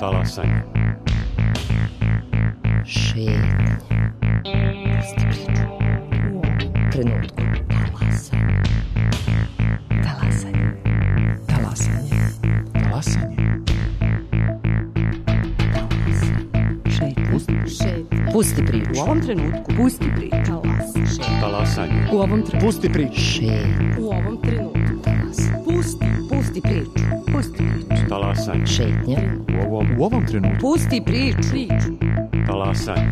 Talasanje. Šetnja. Pusti priču. Trenutku. Talasanje. Talasanje. Talasanje. Šetnja. Pusti priču. U ovom trenutku. Pusti priču. Talasanje. U ovom trenutku. Pusti priču. Šetnja. U ovom trenutku. Pusti priču. Pusti priču. Talasanje. Šetnja. U ovom trenutku. Pusti priču. Talasanje.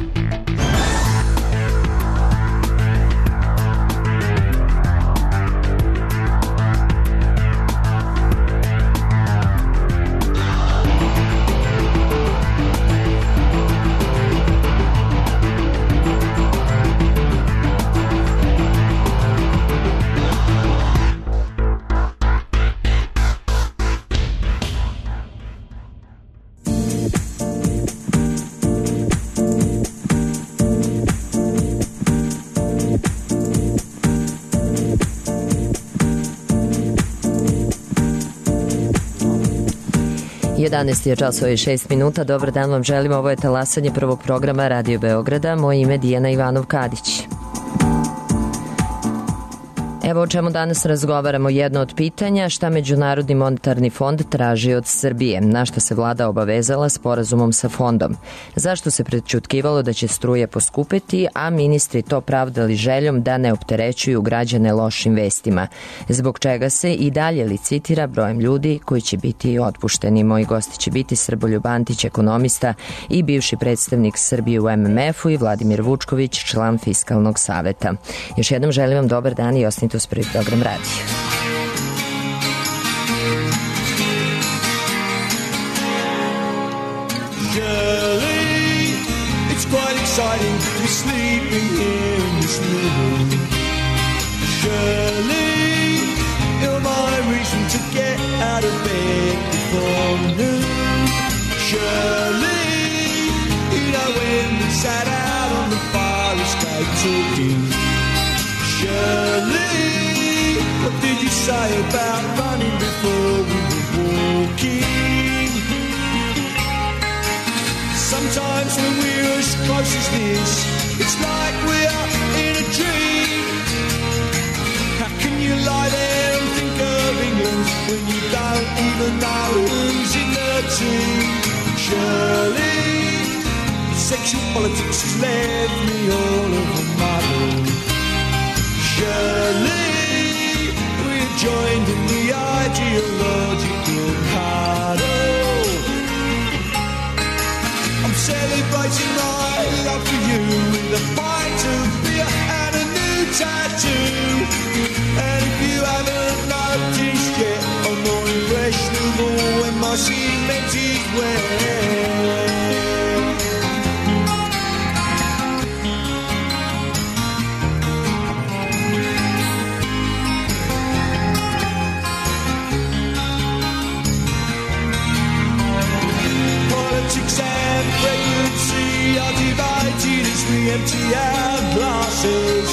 Jedanaest je časova i 6 minuta. Dobar dan vam želim. Ovo je talasanje prvog programa Radio Beograda. Moje ime je Dijana Ivanov-Kadić. Evo o čemu danas razgovaramo. Jedno od pitanja, šta Međunarodni monetarni fond traži od Srbije, na što se vlada obavezala sporazumom sa fondom. Zašto se prećutkivalo da će struje poskupeti, a ministri to pravdali željom da ne opterećuju građane lošim vestima. Zbog čega se i dalje licitira brojem ljudi koji će biti otpušteni. Moji gosti će biti Srboljub Antić, ekonomista i bivši predstavnik Srbije u MMF-u, i Vladimir Vučković, član Fiskalnog saveta. Još jednom želim vam dobar dan i ostanite uz prvi program radija. Shirley, it's quite exciting to be sleeping here in this new room. Shirley, you're my reason to get out of bed before noon. Shirley, you know when we sat out on the fire escape talking. Shirley, what did you say about running before we were walking? Sometimes when we're as close as this, it's like we're in a dream. How can you lie there and think of England when you don't even know who's in the team? Shirley, sexual politics has left me all of a muddle. Shirley, we're joined in the ideological huddle. I'm celebrating my love for you with a pint of beer and a new tattoo. And if you haven't noticed yet, I'm more impressionable when my cement is wet. Politics and pregnancy are divided as we empty our glasses.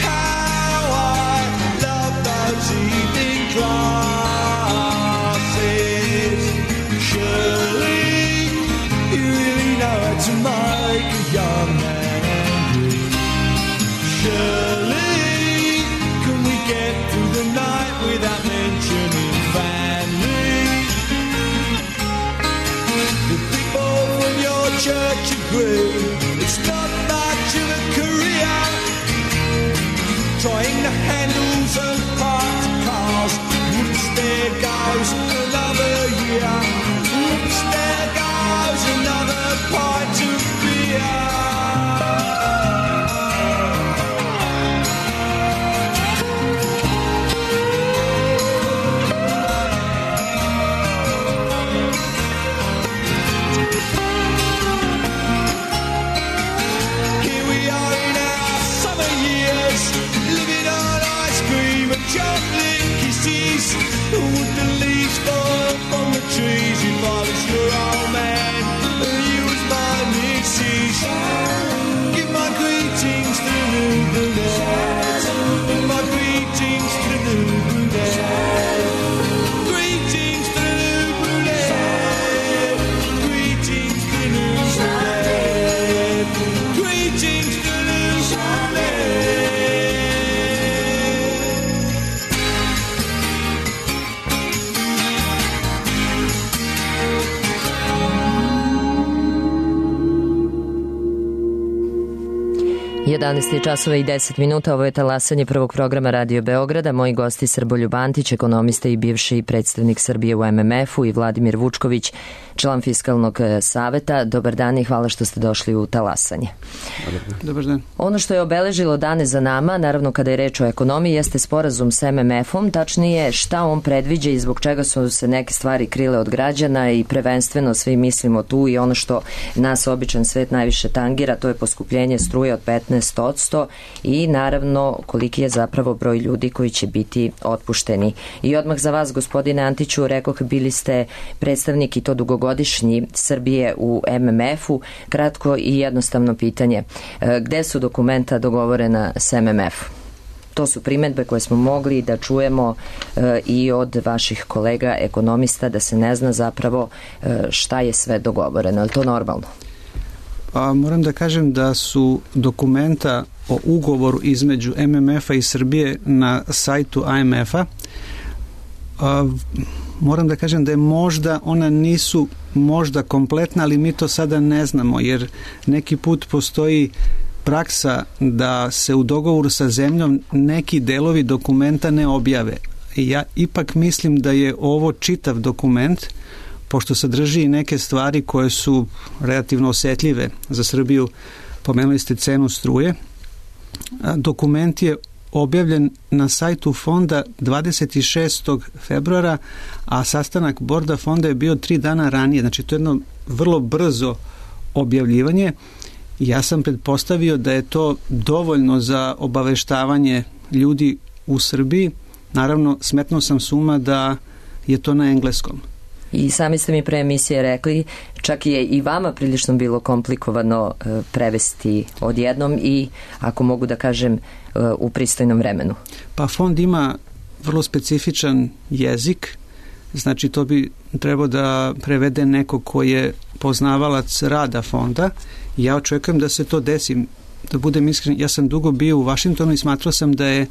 How I love those evening classes. Surely you really know how to make a young man angry. Surely can we get through the night without mentioning family? Church agree it's not much of a career trying the handles of parked cars. Oops, there goes another year. Oops, there goes another pint of beer. Chocolate kisses, would the leaves fall from the trees if I was your old man and you was my missus? Give my greetings to the new brunette. Give my greetings to the new brunette. Greetings to the new brunette. 11 časova i 10 minuta, ovo je talasanje prvog programa Radio Beograda. Moji gosti Srboljub Antić, ekonomista i bivši predstavnik Srbije u MMF-u, i Vladimir Vučković, član Fiskalnog saveta. Dobar dan i hvala što ste došli u talasanje. Dobar dan. Ono što je obeležilo dane za nama, naravno kada je reč o ekonomiji, jeste sporazum s MMF-om, tačnije šta on predviđa i zbog čega su se neke stvari krile od građana i prvenstveno svi mislimo tu i ono što nas običan svet najviše tangira, to je poskupljenje struje od 15% i naravno koliki je zapravo broj ljudi koji će biti otpušteni. I odmah za vas, gospodine Antiću, rekoh, bili ste predstavnik i to dugogodišnji Srbije u MMF-u. Kratko i jednostavno pitanje. Gde su dokumenta dogovorena s MMF-om? To su primedbe koje smo mogli da čujemo i od vaših kolega ekonomista, da se ne zna zapravo šta je sve dogovoreno. Je li to normalno? Moram da kažem da su dokumenta o ugovoru između MMF-a i Srbije na sajtu IMF-a. Moram da kažem da je možda, ona nisu možda kompletna, ali mi to sada ne znamo, jer neki put postoji praksa da se u dogovoru sa zemljom neki delovi dokumenta ne objave. Ja ipak mislim da je ovo čitav dokument, pošto sadrži neke stvari koje su relativno osetljive za Srbiju. Pomenuli ste cenu struje. Dokument je objavljen na sajtu fonda 26. februara, a sastanak borda fonda je bio 3 dana ranije. Znači, to je jedno vrlo brzo objavljivanje. Ja sam pretpostavio da je to dovoljno za obaveštavanje ljudi u Srbiji. Naravno, smetnuo sam s uma da je to na engleskom. I sami ste mi pre emisije rekli, čak je i vama prilično bilo komplikovano prevesti odjednom i, ako mogu da kažem, u pristojnom vremenu. Pa fond ima vrlo specifičan jezik, znači to bi trebao da prevede neko ko je poznavalac rada fonda. Ja očekujem da se to desi. Da budem iskren, ja sam dugo bio u Vašingtonu i smatrao sam da je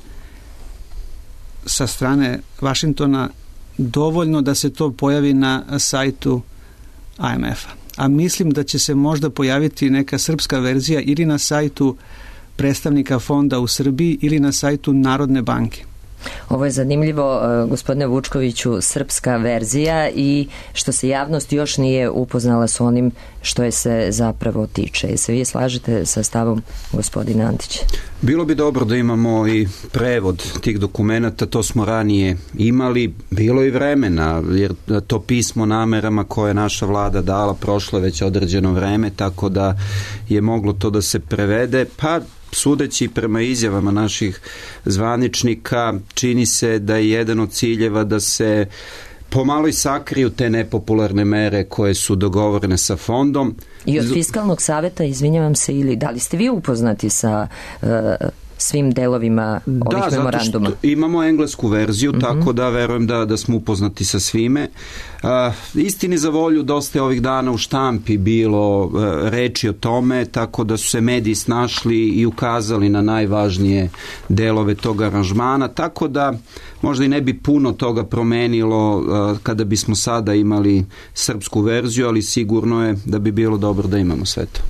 sa strane Vašingtona dovoljno da se to pojavi na sajtu IMF-a. A mislim da će se možda pojaviti neka srpska verzija ili na sajtu predstavnika fonda u Srbiji ili na sajtu Narodne banke. Ovo je zanimljivo, gospodine Vučkoviću, srpska verzija, i što se javnost još nije upoznala s onim što je se zapravo tiče. Se vi slažete sa stavom gospodina Antića? Bilo bi dobro da imamo i prevod tih dokumenata, to smo ranije imali, bilo i vremena, jer to pismo namerama koje je naša vlada dala prošlo već određeno vreme, tako da je moglo to da se prevede, pa sudeći prema izjavama naših zvaničnika, čini se da je jedan od ciljeva da se pomalo i sakriju te nepopularne mere koje su dogovorene sa fondom. I od Fiskalnog saveta, izvinjavam se, ili da li ste vi upoznati sa svim delovima ovih memoranduma? Da, zato što imamo englesku verziju, tako da verujem da smo upoznati sa svime. Istini za volju, dosta je ovih dana u štampi bilo reči o tome, tako da su se mediji snašli i ukazali na najvažnije delove tog aranžmana, tako da možda i ne bi puno toga promenilo kada bismo sada imali srpsku verziju, ali sigurno je da bi bilo dobro da imamo sve to.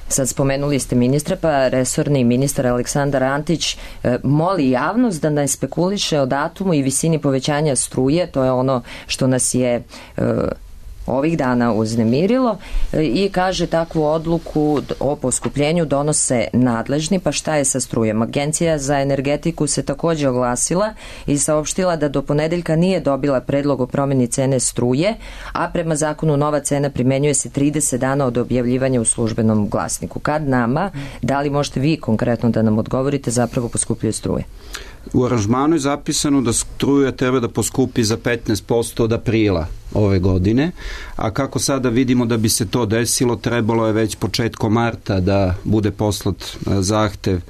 Sad spomenuli ste ministra, pa resorni ministar Aleksandar Antić moli javnost da ne spekuliše o datumu i visini povećanja struje, to je ono što nas je ovih dana uznemirilo, i kaže takvu odluku o poskupljenju donose nadležni. Pa šta je sa strujem? Agencija za energetiku se također oglasila i saopštila da do ponedeljka nije dobila predlog o promjeni cene struje, a prema zakonu nova cena primenjuje se 30 dana od objavljivanja u službenom glasniku. Kad nama, da li možete vi konkretno da nam odgovorite, zapravo poskupljuje struje? U aranžmanu je zapisano da struja treba da poskupi za 15% od aprila ove godine, a kako sada vidimo da bi se to desilo, trebalo je već početkom marta da bude poslat zahtev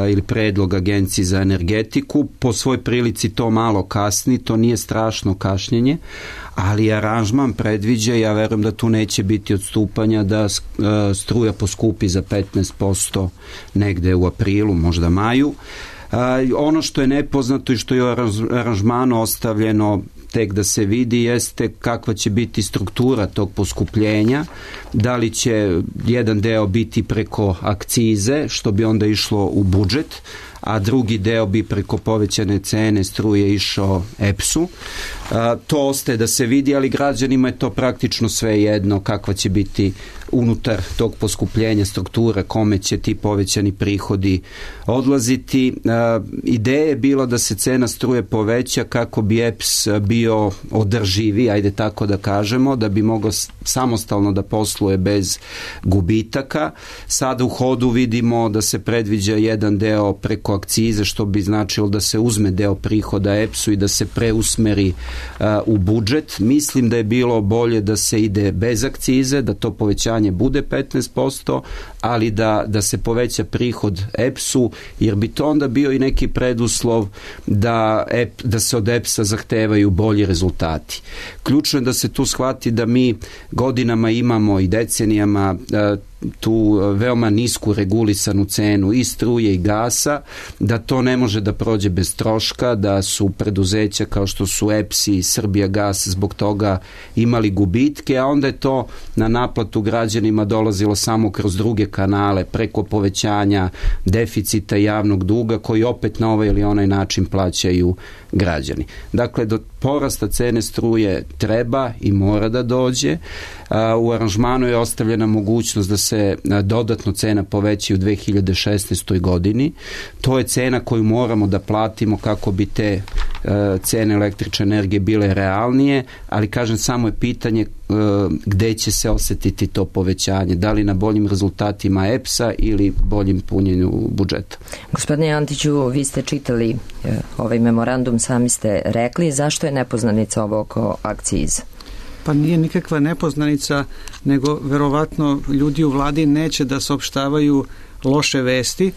ili predlog Agenciji za energetiku. Po svoj prilici to malo kasni, to nije strašno kašnjenje, ali aranžman predviđa, ja verujem da tu neće biti odstupanja, da struja poskupi za 15% negde u aprilu, možda maju. Ono što je nepoznato i što je u aranžmanu ostavljeno tek da se vidi jeste kakva će biti struktura tog poskupljenja, da li će jedan deo biti preko akcize, što bi onda išlo u budžet, a drugi deo bi preko povećane cene struje išao EPS-u. To ostaje da se vidi, ali građanima je to praktično sve jedno kakva će biti unutar tog poskupljenja struktura, kome će ti povećani prihodi odlaziti. Ideja je bila da se cena struje poveća kako bi EPS bio održivi, ajde tako da kažemo, da bi mogao samostalno da posluje bez gubitaka. Sada u hodu vidimo da se predviđa jedan deo preko akcize, što bi značilo da se uzme deo prihoda EPS-u i da se preusmeri u budžet. Mislim da je bilo bolje da se ide bez akcize, da to povećanje bude 15%, ali da se poveća prihod EPS-u, jer bi to onda bio i neki preduslov da se od EPS-a zahtevaju bolji rezultati. Ključno je da se tu shvati da mi godinama imamo i decenijama tu veoma nisku regulisanu cenu i struje i gasa, da to ne može da prođe bez troška, da su preduzeća kao što su EPS i Srbijagas zbog toga imali gubitke, a onda je to na naplatu građanima dolazilo samo kroz druge kanale, preko povećanja deficita javnog duga, koji opet na ovaj ili onaj način plaćaju građani. Dakle, do porasta cene struje treba i mora da dođe. U aranžmanu je ostavljena mogućnost da se dodatno cena poveća u 2016. godini. To je cena koju moramo da platimo kako bi te cene električne energije bile realnije, ali kažem, samo je pitanje gde će se osetiti to povećanje, da li na boljim rezultatima EPS-a ili boljim punjenju budžeta. Gospodine Antiću, vi ste čitali ovaj memorandum, sami ste rekli, zašto je nepoznanica ovo oko akciza? Pa nije nikakva nepoznanica, nego verovatno ljudi u vladi neće da saopštavaju loše vesti,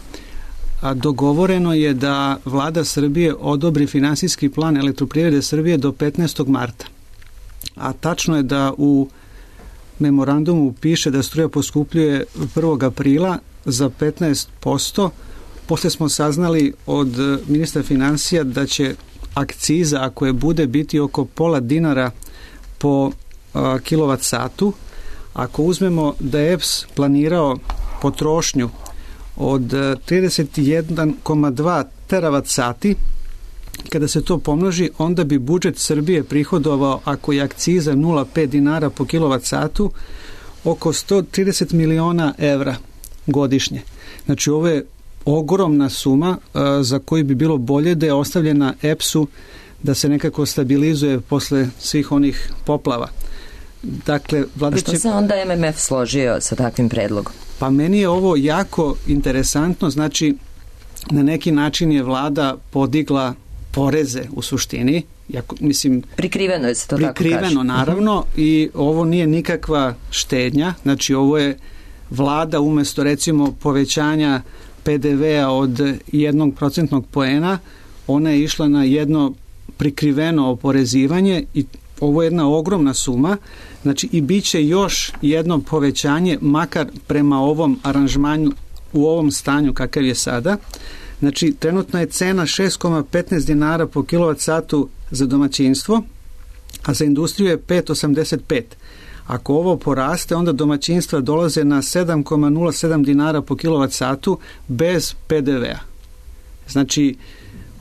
a dogovoreno je da vlada Srbije odobri finansijski plan Elektroprivrede Srbije do 15. marta. A tačno je da u memorandumu piše da struja poskupljuje 1. aprila za 15%. Posle smo saznali od ministra finansija da će akciza, ako je bude, biti oko pola dinara po kilovat satu. Ako uzmemo da je EPS planirao potrošnju od 31,2 teravat sati, kada se to pomnoži, onda bi budžet Srbije prihodovao, ako je akciza 0,5 dinara po kilovat satu, oko 130 miliona evra godišnje. Znači, ovo je ogromna suma za koju bi bilo bolje da je ostavljena EPS-u da se nekako stabilizuje posle svih onih poplava. Dakle, vlada će... Što se onda MMF složio sa takvim predlogom? Pa meni je ovo jako interesantno, znači na neki način je vlada podigla poreze u suštini, mislim... Prikriveno je se to tako kaže. Prikriveno, naravno, i ovo nije nikakva štednja, znači ovo je vlada umesto recimo povećanja PDV-a od 1% poena, ona je išla na jedno prikriveno oporezivanje i ovo je jedna ogromna suma, znači i bit će još jedno povećanje, makar prema ovom aranžmanju u ovom stanju kakav je sada. Znači, trenutno je cena 6,15 dinara po kilovat satu za domaćinstvo, a za industriju je 5,85. Ako ovo poraste, onda domaćinstva dolaze na 7,07 dinara po kilovat satu bez PDV-a. Znači,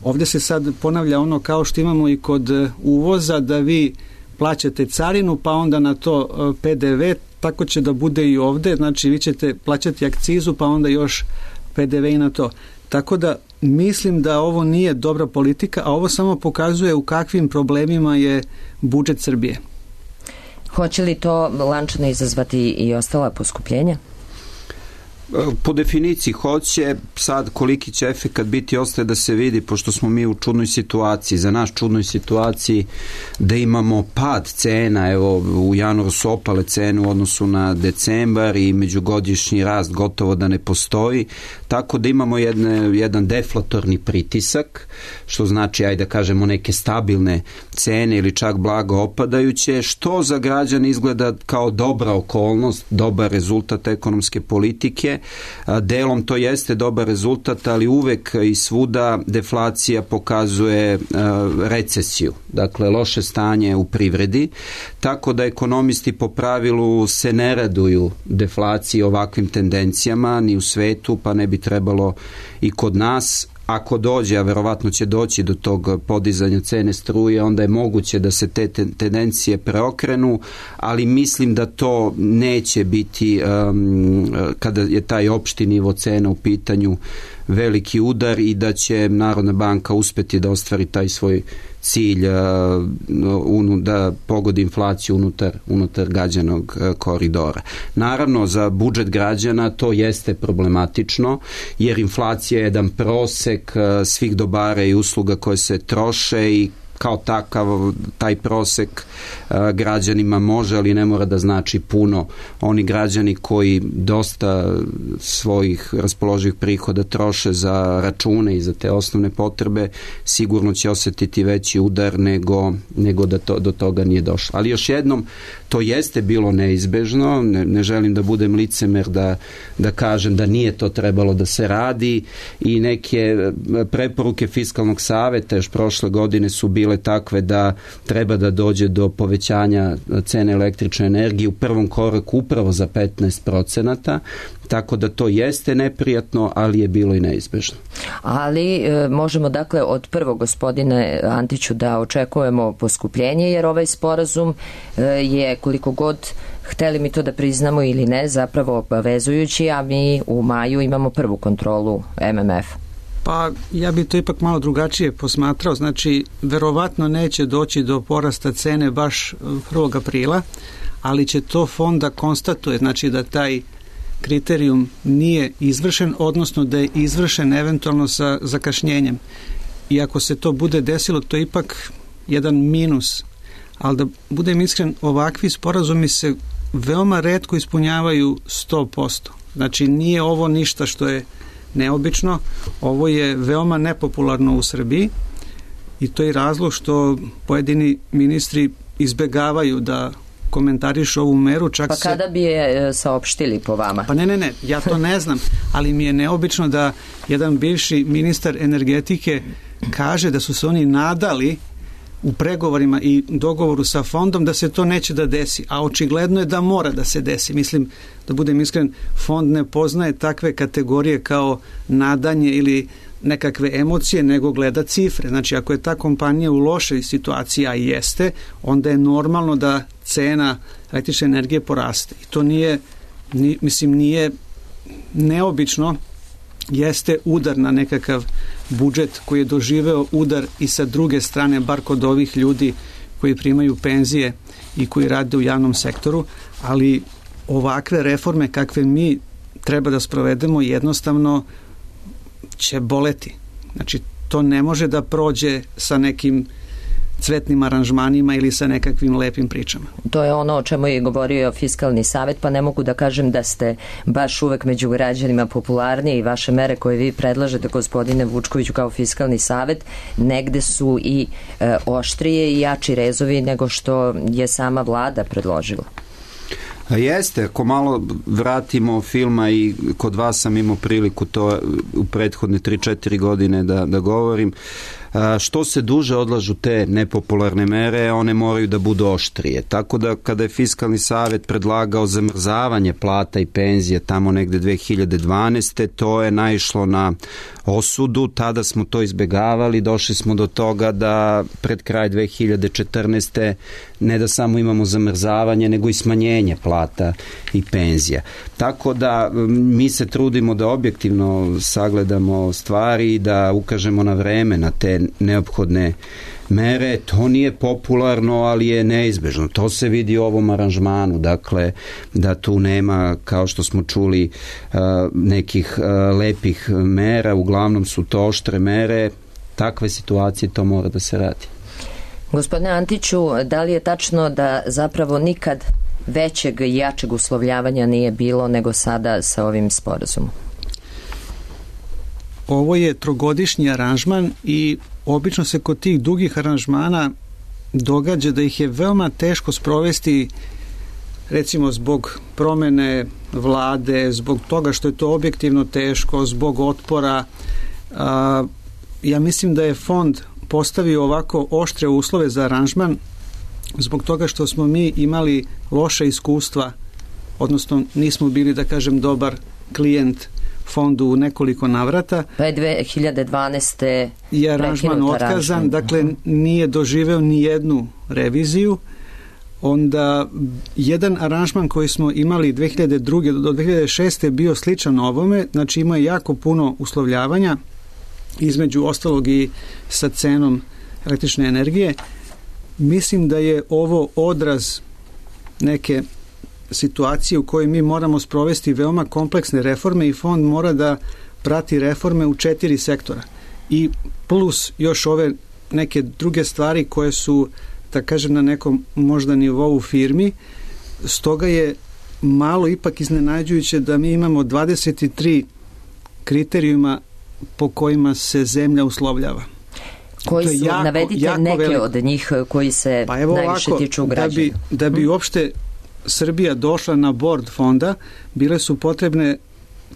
ovdje se sad ponavlja ono kao što imamo i kod uvoza, da vi plaćate carinu, pa onda na to PDV, tako će da bude i ovdje, znači vi ćete plaćati akcizu, pa onda još PDV i na to. Tako da mislim da ovo nije dobra politika, a ovo samo pokazuje u kakvim problemima je budžet Srbije. Hoće li to lančano izazvati i ostala poskupljenja? Po definiciji hoće, sad koliki će efekat biti ostaje da se vidi, pošto smo mi u čudnoj situaciji, za nas čudnoj situaciji da imamo pad cena, evo u januaru su opale cene u odnosu na decembar i međugodišnji rast gotovo da ne postoji, tako da imamo jedan deflatorni pritisak, što znači, ajde da kažemo, neke stabilne cene ili čak blago opadajuće, što za građane izgleda kao dobra okolnost, dobar rezultat ekonomske politike. Delom to jeste dobar rezultat, ali uvek i svuda deflacija pokazuje recesiju, dakle loše stanje u privredi, tako da ekonomisti po pravilu se ne raduju deflaciji, ovakvim tendencijama ni u svetu, pa ne bi trebalo i kod nas. Ako dođe, a verovatno će doći do tog podizanja cene struje, onda je moguće da se te tendencije preokrenu, ali mislim da to neće biti, kada je taj opšti nivo cena u pitanju, veliki udar i da će Narodna banka uspeti da ostvari taj svoj cilj da pogodi inflaciju unutar gađanog koridora. Naravno, za budžet građana to jeste problematično, jer inflacija je jedan prosek svih dobara i usluga koje se troše i kao takav taj prosek građanima može, ali ne mora da znači puno. Oni građani koji dosta svojih raspoloživih prihoda troše za račune i za te osnovne potrebe, sigurno će osjetiti veći udar nego da do toga nije došlo. Ali još jednom, to jeste bilo neizbežno, ne želim da budem licemer da kažem da nije to trebalo da se radi, i neke preporuke Fiskalnog saveta još prošle godine su bile takve da treba da dođe do povećanja cene električne energije u prvom koraku upravo za 15%, tako da to jeste neprijatno, ali je bilo i neizbežno. Ali možemo dakle od prvog, gospodine Antiću, da očekujemo poskupljenje, jer ovaj sporazum je, koliko god hteli mi to da priznamo ili ne, zapravo obavezujući, a mi u maju imamo prvu kontrolu MMF. Pa ja bi to ipak malo drugačije posmatrao, znači verovatno neće doći do porasta cene baš 1. aprila, ali će to fond da konstatuje, znači da taj kriterijum nije izvršen, odnosno da je izvršen eventualno sa zakašnjenjem. I ako se to bude desilo, to je ipak jedan minus. Ali da budem iskren, ovakvi sporazumi se veoma retko ispunjavaju 100%. Znači nije ovo ništa što je neobično, ovo je veoma nepopularno u Srbiji i to je razlog što pojedini ministri izbegavaju da komentarišu ovu meru. Čak kada bi je saopštili po vama? Pa ne, ja to ne znam, ali mi je neobično da jedan bivši ministar energetike kaže da su se oni nadali u pregovorima i dogovoru sa fondom da se to neće da desi, a očigledno je da mora da se desi. Mislim, da budem iskren, fond ne poznaje takve kategorije kao nadanje ili nekakve emocije, nego gleda cifre. Znači, ako je ta kompanija u lošoj situaciji, a i jeste, onda je normalno da cena električne energije poraste. I to nije neobično, jeste udar na nekakav budžet koji je doživeo udar i sa druge strane, bar kod ovih ljudi koji primaju penzije i koji rade u javnom sektoru, ali ovakve reforme kakve mi treba da sprovedemo jednostavno će boleti. Znači, to ne može da prođe sa nekim cvetnim aranžmanima ili sa nekakvim lepim pričama. To je ono o čemu je govorio Fiskalni savet, pa ne mogu da kažem da ste baš uvek među građanima popularniji i vaše mere koje vi predlažete, gospodine Vučkoviću, kao Fiskalni savet, negde su i oštrije i jači rezovi nego što je sama vlada predložila. Jeste, ako malo vratimo filma, i kod vas sam imao priliku to u prethodne 3-4 godine da govorim, što se duže odlažu te nepopularne mere, one moraju da budu oštrije. Tako da kada je Fiskalni savet predlagao zamrzavanje plata i penzija tamo negde 2012. to je naišlo na osudu, tada smo to izbegavali, došli smo do toga da pred kraj 2014. ne da samo imamo zamrzavanje, nego i smanjenje plata i penzija. Tako da mi se trudimo da objektivno sagledamo stvari i da ukažemo na vreme na te neophodne mere. To nije popularno, ali je neizbežno. To se vidi u ovom aranžmanu, dakle da tu nema, kao što smo čuli, nekih lepih mera, uglavnom su to oštre mere. Takve situacije, to mora da se radi. Gospodine Antiću, da li je tačno da zapravo nikad većeg i jačeg uslovljavanja nije bilo nego sada sa ovim sporazumom? ovo je trogodišnji aranžman i obično se kod tih dugih aranžmana događa da ih je veoma teško sprovesti, recimo zbog promene vlade, zbog toga što je to objektivno teško, zbog otpora. Ja mislim da je fond postavio ovako oštre uslove za aranžman zbog toga što smo mi imali loše iskustva, odnosno nismo bili, da kažem, dobar klijent fondu u nekoliko navrata. Pa je 2012. je aranžman otkazan, dakle nije doživeo ni jednu reviziju. Onda jedan aranžman koji smo imali 2002. do 2006. je bio sličan ovome, znači ima jako puno uslovljavanja, između ostalog i sa cenom električne energije. Mislim da je ovo odraz neke situacije u kojoj mi moramo sprovesti veoma kompleksne reforme i fond mora da prati reforme u 4 sektora. I plus još ove neke druge stvari koje su, da kažem, na nekom možda nivou firmi. Stoga je malo ipak iznenađujuće da mi imamo 23 kriterijuma po kojima se zemlja uslovljava. Koji su, jako, navedite jako neke veliko. Od njih koji se najviše tiču građana. Da bi uopšte Srbija došla na bord fonda, bile su potrebne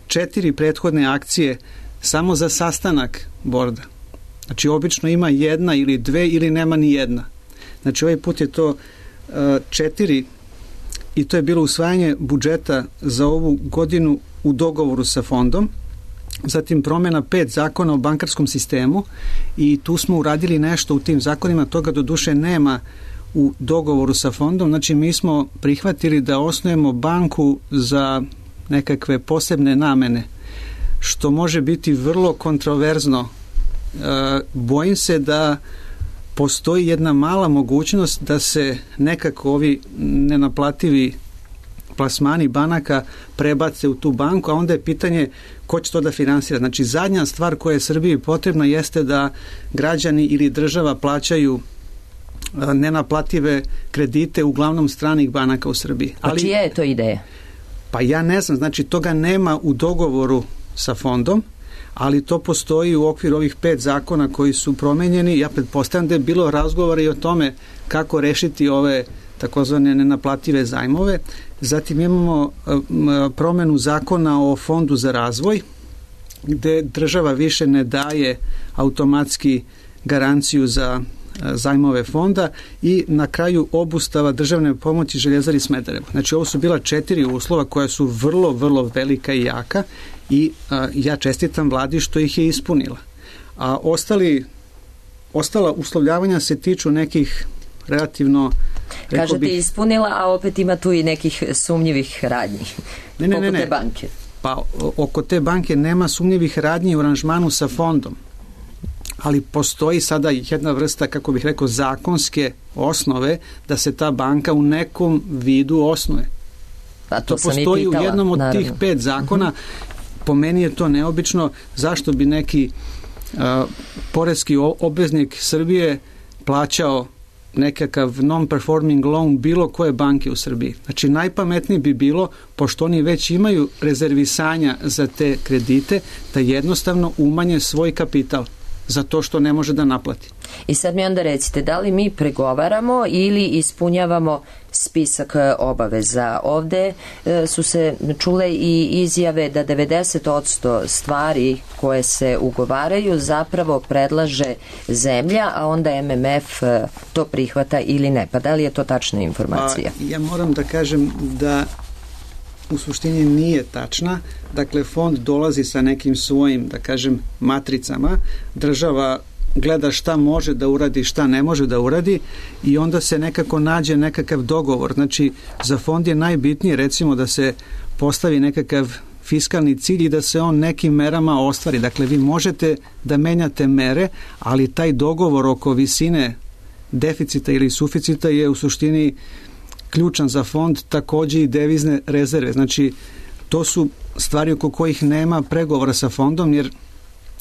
4 prethodne akcije samo za sastanak borda. Znači obično ima 1 ili 2 ili nema ni jedna. Znači ovaj put je to 4 i to je bilo usvajanje budžeta za ovu godinu u dogovoru sa fondom, zatim promjena 5 zakona o bankarskom sistemu i tu smo uradili nešto u tim zakonima, toga doduše nema u dogovoru sa fondom, znači mi smo prihvatili da osnujemo banku za nekakve posebne namene, što može biti vrlo kontroverzno. Bojim se da postoji jedna mala mogućnost da se nekako ovi nenaplativi plasmani banaka prebace u tu banku, a onda je pitanje ko će to da finansira. Znači zadnja stvar koja je Srbiji potrebna jeste da građani ili država plaćaju nenaplative kredite uglavnom stranih banaka u Srbiji. A čija je to ideja? Pa ja ne znam, znači toga nema u dogovoru sa fondom, ali to postoji u okviru ovih 5 zakona koji su promenjeni. Ja pretpostavljam da je bilo razgovora i o tome kako rešiti ove takozvane nenaplative zajmove. Zatim imamo promenu zakona o fondu za razvoj, gde država više ne daje automatski garanciju za zajmove fonda i na kraju obustava državne pomoći Željezari Smederevo. Znači ovo su bila 4 uslova koja su vrlo, vrlo velika i jaka i ja čestitam vladi što ih je ispunila. A ostala uslovljavanja se tiču nekih relativno, kažete ispunila, a opet ima tu i nekih sumnjivih radnji. Ne. Te banke. Pa oko te banke nema sumnjivih radnji u aranžmanu sa fondom. Ali postoji sada jedna vrsta, kako bih rekao, zakonske osnove da se ta banka u nekom vidu osnuje. Pa to postoji u jednom od tih 5 zakona. Po meni je to neobično. Zašto bi neki poreski obveznik Srbije plaćao nekakav non-performing loan bilo koje banke u Srbiji? Znači najpametnije bi bilo, pošto oni već imaju rezervisanja za te kredite, da jednostavno umanje svoj kapital za to što ne može da naplati. I sad mi onda recite, da li mi pregovaramo ili ispunjavamo spisak obaveza? Ovde su se čule i izjave da 90% stvari koje se ugovaraju zapravo predlaže zemlja, a onda MMF to prihvata ili ne. Pa da li je to tačna informacija? Ja moram da kažem da u suštini nije tačna. Dakle, fond dolazi sa nekim svojim, da kažem, matricama. Država gleda šta može da uradi, šta ne može da uradi i onda se nekako nađe nekakav dogovor. Znači, za fond je najbitnije, recimo, da se postavi nekakav fiskalni cilj i da se on nekim merama ostvari. Dakle, vi možete da menjate mere, ali taj dogovor oko visine deficita ili suficita je u suštini ključan za fond, takođe i devizne rezerve. Znači, to su stvari oko kojih nema pregovora sa fondom, jer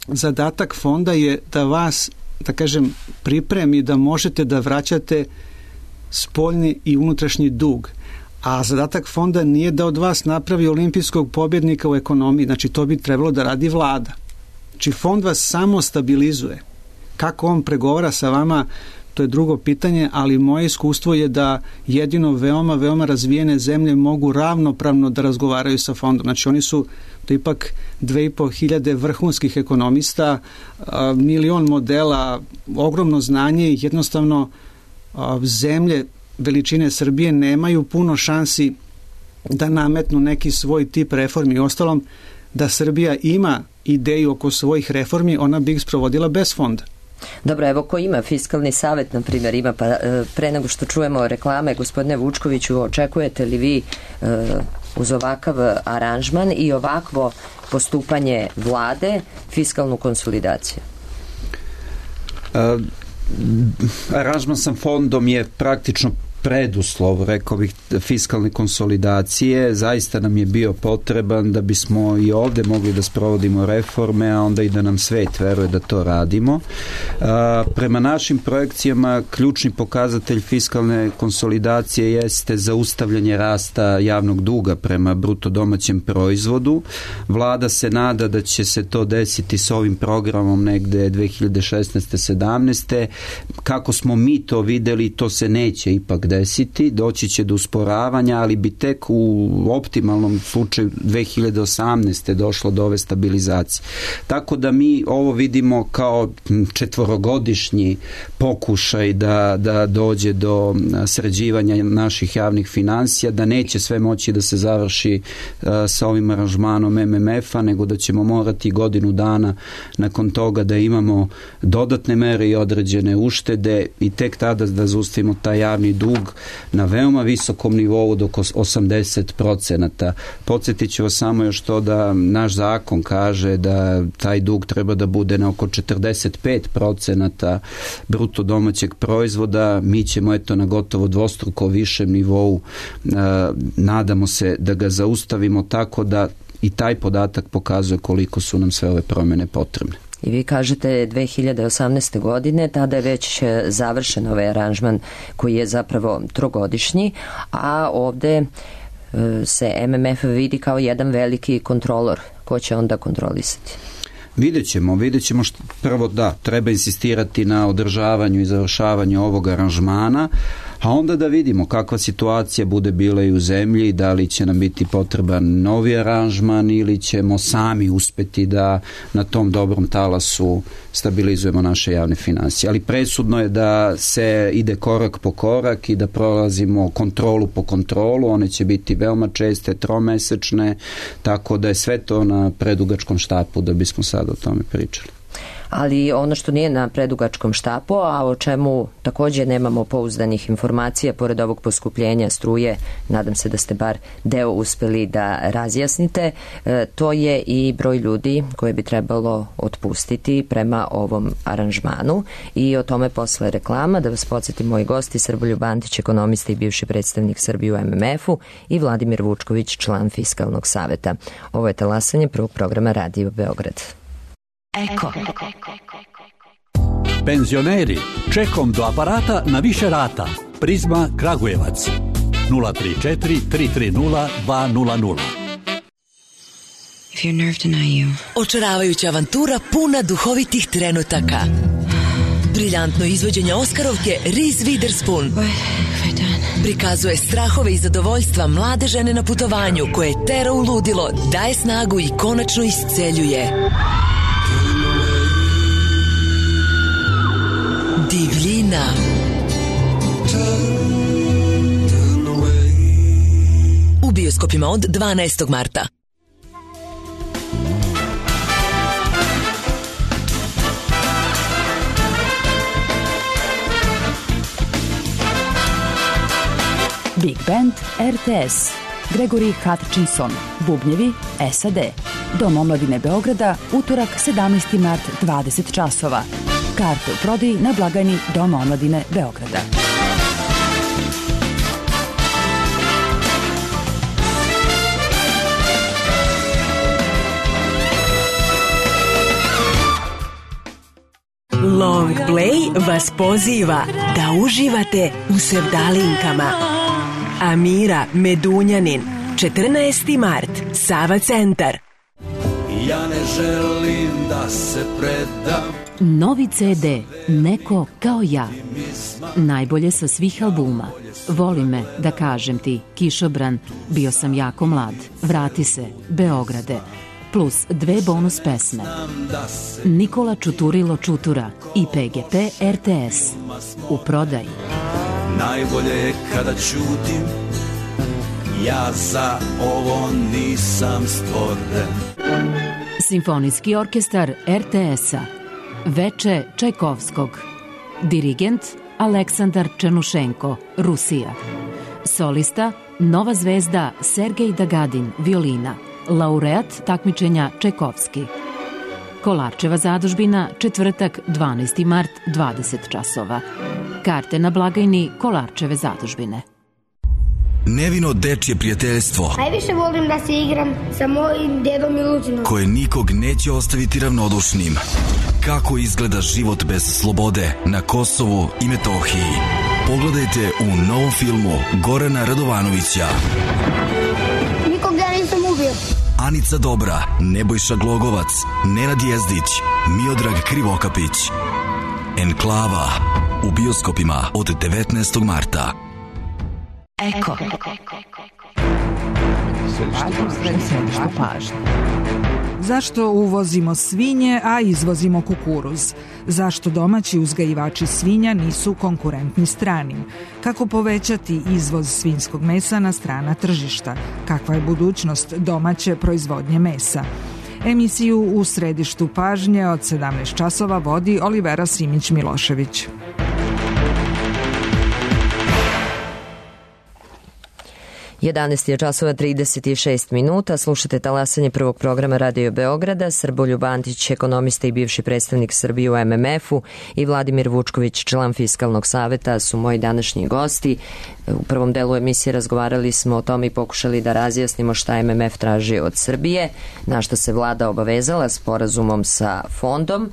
zadatak fonda je da vas, da kažem, pripremi da možete da vraćate spoljni i unutrašnji dug. A zadatak fonda nije da od vas napravi olimpijskog pobjednika u ekonomiji. Znači, to bi trebalo da radi vlada. Znači, fond vas samo stabilizuje. Kako on pregovara sa vama, to je drugo pitanje, ali moje iskustvo je da jedino veoma, veoma razvijene zemlje mogu ravnopravno da razgovaraju sa fondom. Znači, oni su to ipak 2500 vrhunskih ekonomista, 1.000.000 modela, ogromno znanje i jednostavno zemlje veličine Srbije nemaju puno šansi da nametnu neki svoj tip reformi. Ostalom, da Srbija ima ideju oko svojih reformi, ona bi ih sprovodila bez fonda. Dobro, evo ko ima Fiskalni savet, na primjer, ima, pa pre nego što čujemo reklame, gospodine Vučkoviću, očekujete li vi uz ovakav aranžman i ovakvo postupanje vlade fiskalnu konsolidaciju? Aranžman sa fondom je praktično preduslov, rekao bih, fiskalne konsolidacije. Zaista nam je bio potreban da bismo i ovde mogli da sprovodimo reforme, a onda i da nam svet veruje da to radimo. Prema našim projekcijama ključni pokazatelj fiskalne konsolidacije jeste zaustavljanje rasta javnog duga prema bruto domaćem proizvodu. Vlada se nada da će se to desiti s ovim programom negde 2016. 17. Kako smo mi to videli, to se neće ipak desiti, doći će do usporavanja, ali bi tek u optimalnom slučaju 2018. došlo do ove stabilizacije. Tako da mi ovo vidimo kao četvorogodišnji pokušaj da dođe do sređivanja naših javnih finansija, da neće sve moći da se završi sa ovim aranžmanom MMF-a, nego da ćemo morati godinu dana nakon toga da imamo dodatne mere i određene uštede i tek tada da zaustavimo taj javni dug na veoma visokom nivou do 80%. Podsjetit ću vas samo još to da naš zakon kaže da taj dug treba da bude na oko 45% bruto domaćeg proizvoda. Mi ćemo na gotovo dvostruko višem nivou. Nadamo se da ga zaustavimo, tako da i taj podatak pokazuje koliko su nam sve ove promjene potrebne. I vi kažete 2018. godine, tada je već završen ovaj aranžman koji je zapravo trogodišnji, a ovde se MMF vidi kao jedan veliki kontrolor. Ko će onda kontrolisati? Vidjet ćemo prvo da treba insistirati na održavanju i završavanju ovog aranžmana, a onda da vidimo kakva situacija bude bila i u zemlji, da li će nam biti potreban novi aranžman ili ćemo sami uspeti da na tom dobrom talasu stabilizujemo naše javne finansije. Ali presudno je da se ide korak po korak i da prolazimo kontrolu po kontrolu, one će biti veoma česte, tromesečne, tako da je sve to na predugačkom štapu da bismo sad o tome pričali. Ali ono što nije na predugačkom štapu, a o čemu također nemamo pouzdanih informacija, pored ovog poskupljenja struje, nadam se da ste bar deo uspeli da razjasnite, to je i broj ljudi koje bi trebalo otpustiti prema ovom aranžmanu i o tome posle reklama. Da vas podsjetim, moji gosti Srboljub Antić, ekonomista i bivši predstavnik Srbije u MMF-u, i Vladimir Vučković, član Fiskalnog saveta. Ovo je talasanje prvog programa Radio Beograd. Eko. Penzioneri, čekom do aparata na više rata. Prizma Kragujevac 034 330 200. If your nerve deny you. Očaravajuća avantura puna duhovitih trenutaka. Briljantno izvođenje Oskarovke Reese Witherspoon prikazuje strahove i zadovoljstva mlade žene na putovanju koje tera u ludilo, daje snagu i konačno isceljuje. Divljina. U bioskopima od 12. marta. Big Band RTS. Gregory Hutchinson. Bubnjevi SAD. Dom omladine Beograda, utorak 17. mart, 20 časova. Karte u prodaji na blagajni Doma omladine Beograda. Long Play vas poziva da uživate u sevdalinkama. Amira Medunjanin, 14. mart, Sava centar. Ja ne želim da se predam. Novi CD Neko kao ja. Najbolje sa svih albuma. Voli me, da kažem ti, Kišobran, Bio sam jako mlad, Vrati se, Beograde, plus 2 bonus pesme. Nikola Čuturilo Čutura i PGP RTS. U prodaji. Najbolje je kada ćutim, ja za ovo nisam stvoren. Simfonijski orkestar RTS-a. Veče Čajkovskog. Dirigent Aleksandar Černušenko, Rusija. Solista Nova zvezda Sergej Dagadin, violina. Laureat takmičenja Čajkovski. Kolarčeva zadužbina, četvrtak, 12. mart, 20 časova. Karte na blagajni Kolarčeve zadužbine. Nevino dečje prijateljstvo. Najviše volim da se igram sa mojim dedom Miluđinom. Koje nikog neće ostaviti ravnodušnim. Kako izgleda život bez slobode na Kosovu i Metohiji. Pogledajte u novom filmu Gorana Radovanovića. Nikog ja nisam ubio. Anica Dobra, Nebojša Glogovac, Nenad Jezdić, Miodrag Krivokapić. Enklava u bioskopima od 19. marta. Eko. Središte pažnje. Zašto uvozimo svinje, a izvozimo kukuruz? Zašto domaći uzgajivači svinja nisu konkurentni stranim? Kako povećati izvoz svinjskog mesa na strana tržišta? Kakva je budućnost domaće proizvodnje mesa? Emisiju U središtu pažnje od 17 časova vodi Olivera Simić-Milošević. Jedanaest je časova 36 minuta. Slušate talasanje prvog programa Radio Beograda. Srboljub Antić, ekonomista i bivši predstavnik Srbije u MMF-u, i Vladimir Vučković, član Fiskalnog saveta, su moji današnji gosti. U prvom delu emisije razgovarali smo o tome i pokušali da razjasnimo šta MMF traži od Srbije, na što se vlada obavezala sporazumom sa fondom.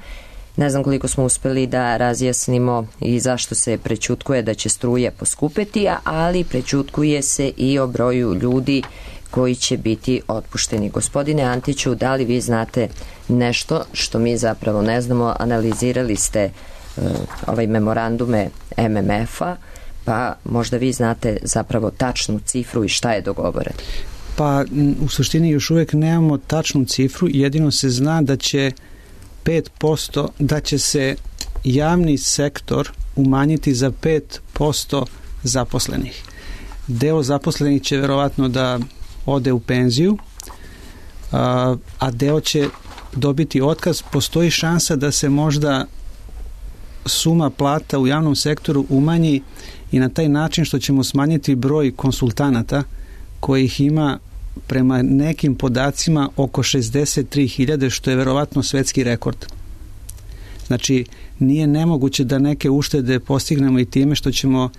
Ne znam koliko smo uspeli da razjasnimo i zašto se prećutkuje da će struje poskupeti, ali prećutkuje se i o broju ljudi koji će biti otpušteni. Gospodine Antiću, da li vi znate nešto što mi zapravo ne znamo? Analizirali ste ovaj memorandume MMF-a, pa možda vi znate zapravo tačnu cifru i šta je dogovoreno. Pa u suštini još uvijek nemamo tačnu cifru, jedino se zna da će 5%, da će se javni sektor umanjiti za 5% zaposlenih. Deo zaposlenih će verovatno da ode u penziju, a deo će dobiti otkaz. Postoji šansa da se možda suma plata u javnom sektoru umanji i na taj način što ćemo smanjiti broj konsultanata kojih ima prema nekim podacima oko 63.000, što je verovatno svetski rekord. Znači, nije nemoguće da neke uštede postignemo i time što ćemo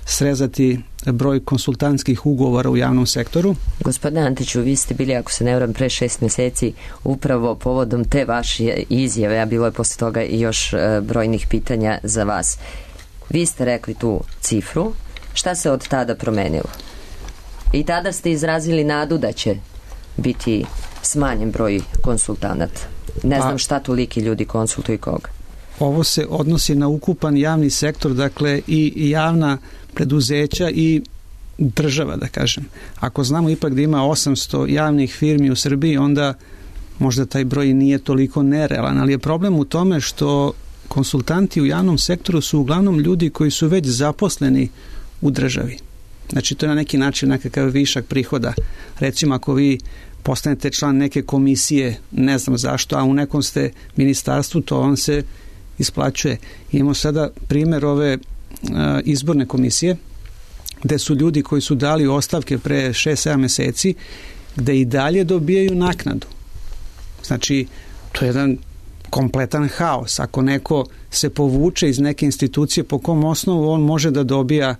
srezati broj konsultantskih ugovora u javnom sektoru. Gospodine Antiću, vi ste bili, ako se ne varam, pre 6 mjeseci upravo povodom te vaše izjave, a bilo je posle toga i još brojnih pitanja za vas. Vi ste rekli tu cifru. Šta se od tada promenilo? I tada ste izrazili nadu da će biti smanjen broj konsultanata. Ne znam šta toliki ljudi konsultuju i koga. Ovo se odnosi na ukupan javni sektor, dakle i javna preduzeća i država, da kažem. Ako znamo ipak da ima 800 javnih firmi u Srbiji, onda možda taj broj nije toliko nerealan, ali je problem u tome što konsultanti u javnom sektoru su uglavnom ljudi koji su već zaposleni u državi. Znači, to je na neki način nekakav višak prihoda. Recimo, ako vi postanete član neke komisije, ne znam zašto, a u nekom ste ministarstvu, to vam se isplaćuje. Imamo sada primjer ove izborne komisije, gde su ljudi koji su dali ostavke pre 6-7 meseci, gde i dalje dobijaju naknadu. Znači, to je jedan kompletan haos. Ako neko se povuče iz neke institucije, po kom osnovu on može da dobija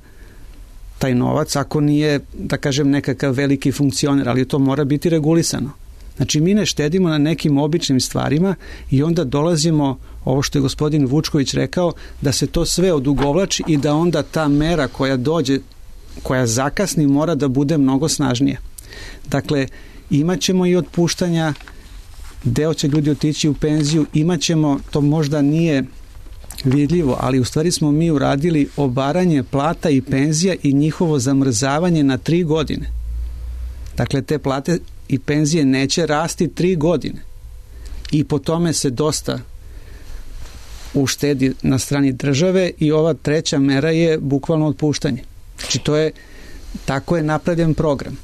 taj novac, ako nije, da kažem, nekakav veliki funkcioner, ali to mora biti regulisano. Znači, mi ne štedimo na nekim običnim stvarima i onda dolazimo, ovo što je gospodin Vučković rekao, da se to sve odugovlači i da onda ta mera koja dođe, koja zakasni, mora da bude mnogo snažnija. Dakle, imat ćemo i otpuštanja deo će ljudi otići u penziju, imat ćemo, to možda nije vidljivo, ali u stvari smo mi uradili obaranje plata i penzija i njihovo zamrzavanje na 3 godine. Dakle, te plate i penzije neće rasti 3 godine. I po tome se dosta uštedi na strani države i ova treća mera je bukvalno otpuštanje. Znači, tako je napravljen program.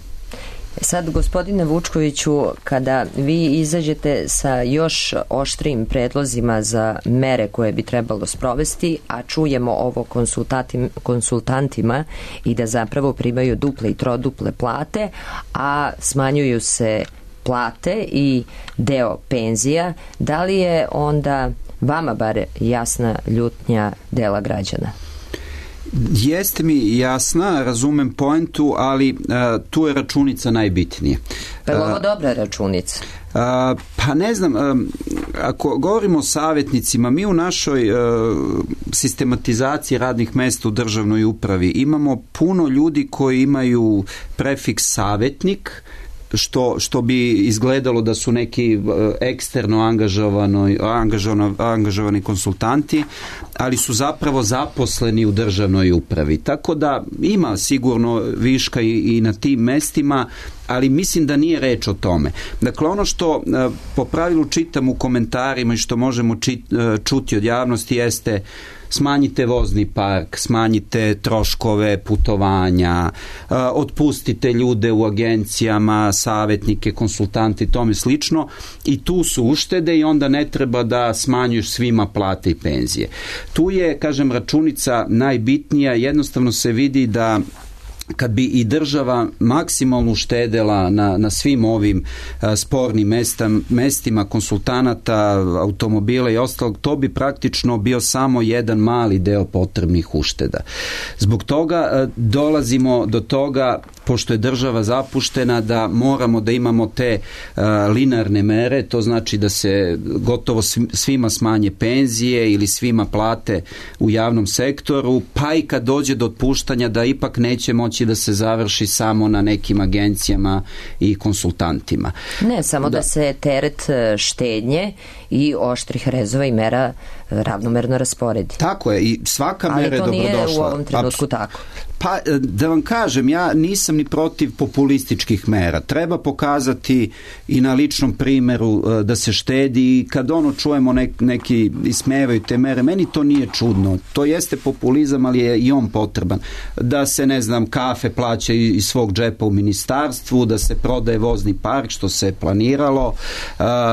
Sad, gospodine Vučkoviću, kada vi izađete sa još oštrijim predlozima za mere koje bi trebalo sprovesti, a čujemo ovo konsultantima i da zapravo primaju duple i troduple plate, a smanjuju se plate i deo penzija, da li je onda vama bar jasna ljutnja dela građana? Jeste mi jasna, razumem poentu, ali tu je računica najbitnije. Pa je ovo dobra računica? Pa ne znam, ako govorimo o savjetnicima, mi u našoj sistematizaciji radnih mesta u državnoj upravi imamo puno ljudi koji imaju prefiks savjetnik, što bi izgledalo da su neki eksterno angažovani konsultanti, ali su zapravo zaposleni u državnoj upravi. Tako da ima sigurno viška i na tim mestima, ali mislim da nije reč o tome. Dakle, ono što po pravilu čitam u komentarima i što možemo čuti od javnosti jeste: smanjite vozni park, smanjite troškove putovanja, otpustite ljude u agencijama, savjetnike, konsultante i tome slično, i tu su uštede i onda ne treba da smanjuš svima plate i penzije. Tu je, kažem, računica najbitnija. Jednostavno se vidi da kad bi i država maksimalno uštedela na svim ovim spornim mestima konsultanata, automobila i ostalog, to bi praktično bio samo jedan mali deo potrebnih ušteda. Zbog toga dolazimo do toga, pošto je država zapuštena, da moramo da imamo te linearne mere, to znači da se gotovo svima smanje penzije ili svima plate u javnom sektoru, pa i kad dođe do otpuštanja da ipak neće moći da se završi samo na nekim agencijama i konsultantima. Ne, samo da se teret štednje i oštrih rezova i mera ravnomerno rasporedi. Tako je, i svaka mera je dobrodošla. Ali to nije u ovom trenutku tako. Pa, da vam kažem, ja nisam ni protiv populističkih mera. Treba pokazati i na ličnom primjeru da se štedi, i kad čujemo neki ismevaju te mere, meni to nije čudno. To jeste populizam, ali je i on potreban. Da se, ne znam, kafe plaća iz svog džepa u ministarstvu, da se prodaje vozni park, što se planiralo,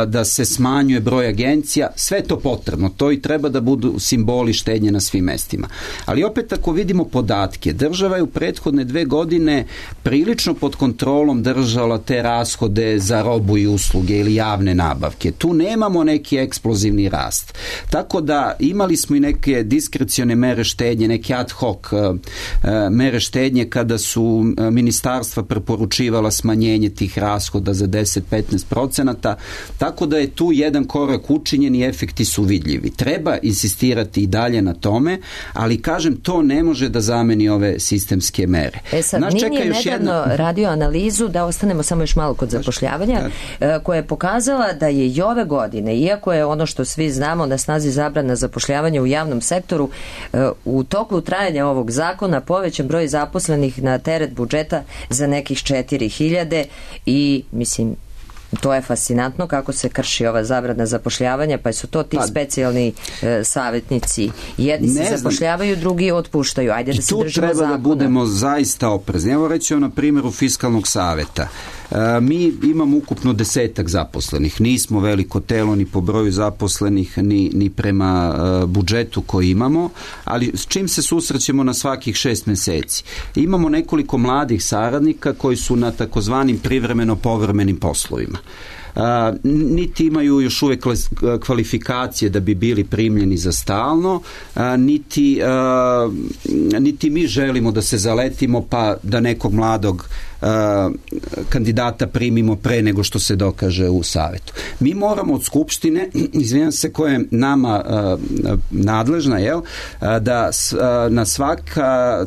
da se smanjuje broj agencija, sve to potrebno. To i treba da budu simboli štednje na svim mestima. Ali opet, ako vidimo podatke, država je u prethodne 2 godine prilično pod kontrolom držala te rashode za robu i usluge ili javne nabavke. Tu nemamo neki eksplozivni rast. Tako da imali smo i neke diskrecione mere štednje, neke ad hoc mere štednje kada su ministarstva preporučivala smanjenje tih rashoda za 10-15%. Tako da je tu jedan korak učinjen i efekti su vidljivi. Treba insistirati i dalje na tome, ali kažem, to ne može da zameni ove sistemske mere. Sad, NIN je nedavno radio analizu, da ostanemo samo još malo kod zapošljavanja, koja je pokazala da je i ove godine, iako je ono što svi znamo na snazi zabrana zapošljavanja u javnom sektoru, u toku trajanja ovog zakona povećan broj zaposlenih na teret budžeta za nekih 4.000 i, mislim, to je fascinantno kako se krši ova zabrana zapošljavanja, pa su to ti specijalni savjetnici. Jedni se zapošljavaju, drugi otpuštaju. Ajde da se držimo zakona. Tu treba da budemo zaista oprezni. Evo reći na primjeru Fiskalnog saveta. Mi imamo ukupno 10 zaposlenih. Nismo veliko telo ni po broju zaposlenih, ni prema budžetu koji imamo, ali s čim se susrećemo na svakih 6 meseci? Imamo nekoliko mladih saradnika koji su na takozvanim privremeno povremenim poslovima. Niti imaju još uvijek kvalifikacije da bi bili primljeni za stalno, niti mi želimo da se zaletimo pa da nekog mladog kandidata primimo pre nego što se dokaže u savetu. Mi moramo od Skupštine, izvinjam se, koja je nama nadležna, da na svaka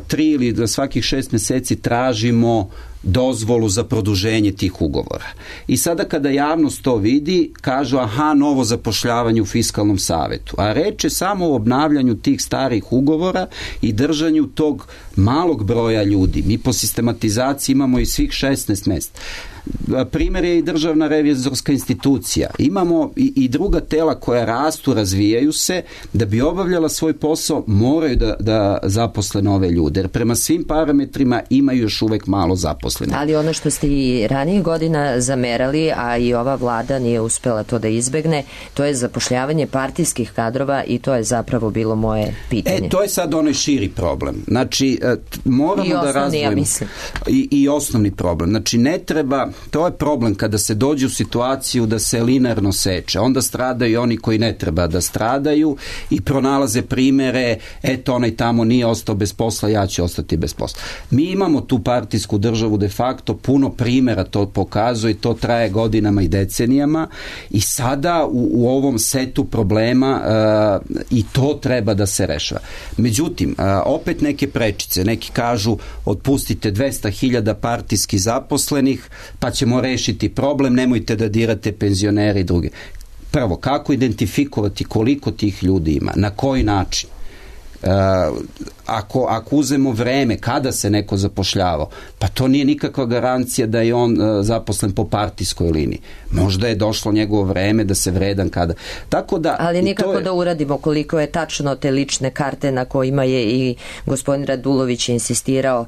3 ili na svakih 6 meseci tražimo dozvolu za produženje tih ugovora. I sada kada javnost to vidi, kažu aha, novo zapošljavanje u fiskalnom savetu. A reč je samo o obnavljanju tih starih ugovora i držanju tog malog broja ljudi. Mi po sistematizaciji imamo i svih 16 mesta. Primjer je i državna revizorska institucija. Imamo i druga tela koja rastu, razvijaju se, da bi obavljala svoj posao moraju da zaposle nove ljude, jer prema svim parametrima imaju još uvek malo zaposlenih. Ali ono što ste i ranijih godina zamerali, a i ova vlada nije uspela to da izbegne, to je zapošljavanje partijskih kadrova i to je zapravo bilo moje pitanje. To je sad onaj širi problem. Znači, moramo da razdvojimo. Ja mislim. I osnovni problem. Znači, ne treba. To je problem kada se dođe u situaciju da se linearno seče. Onda stradaju oni koji ne treba da stradaju i pronalaze primere, eto onaj tamo nije ostao bez posla, ja ću ostati bez posla. Mi imamo tu partijsku državu de facto, puno primera to pokazuje i to traje godinama i decenijama i sada u ovom setu problema i to treba da se rešava. Međutim, opet neke prečice, neki kažu otpustite 200.000 partijski zaposlenih, pa ćemo rešiti problem, nemojte da dirate penzionere i druge. Prvo, kako identifikovati koliko tih ljudi ima, na koji način? Ako uzemo vreme kada se neko zapošljavao, pa to nije nikakva garancija da je on zaposlen po partijskoj liniji. Možda je došlo njegovo vreme da se vredan kada. Tako da, ali nikako da uradimo koliko je tačno te lične karte na kojima je i gospodin Radulović insistirao,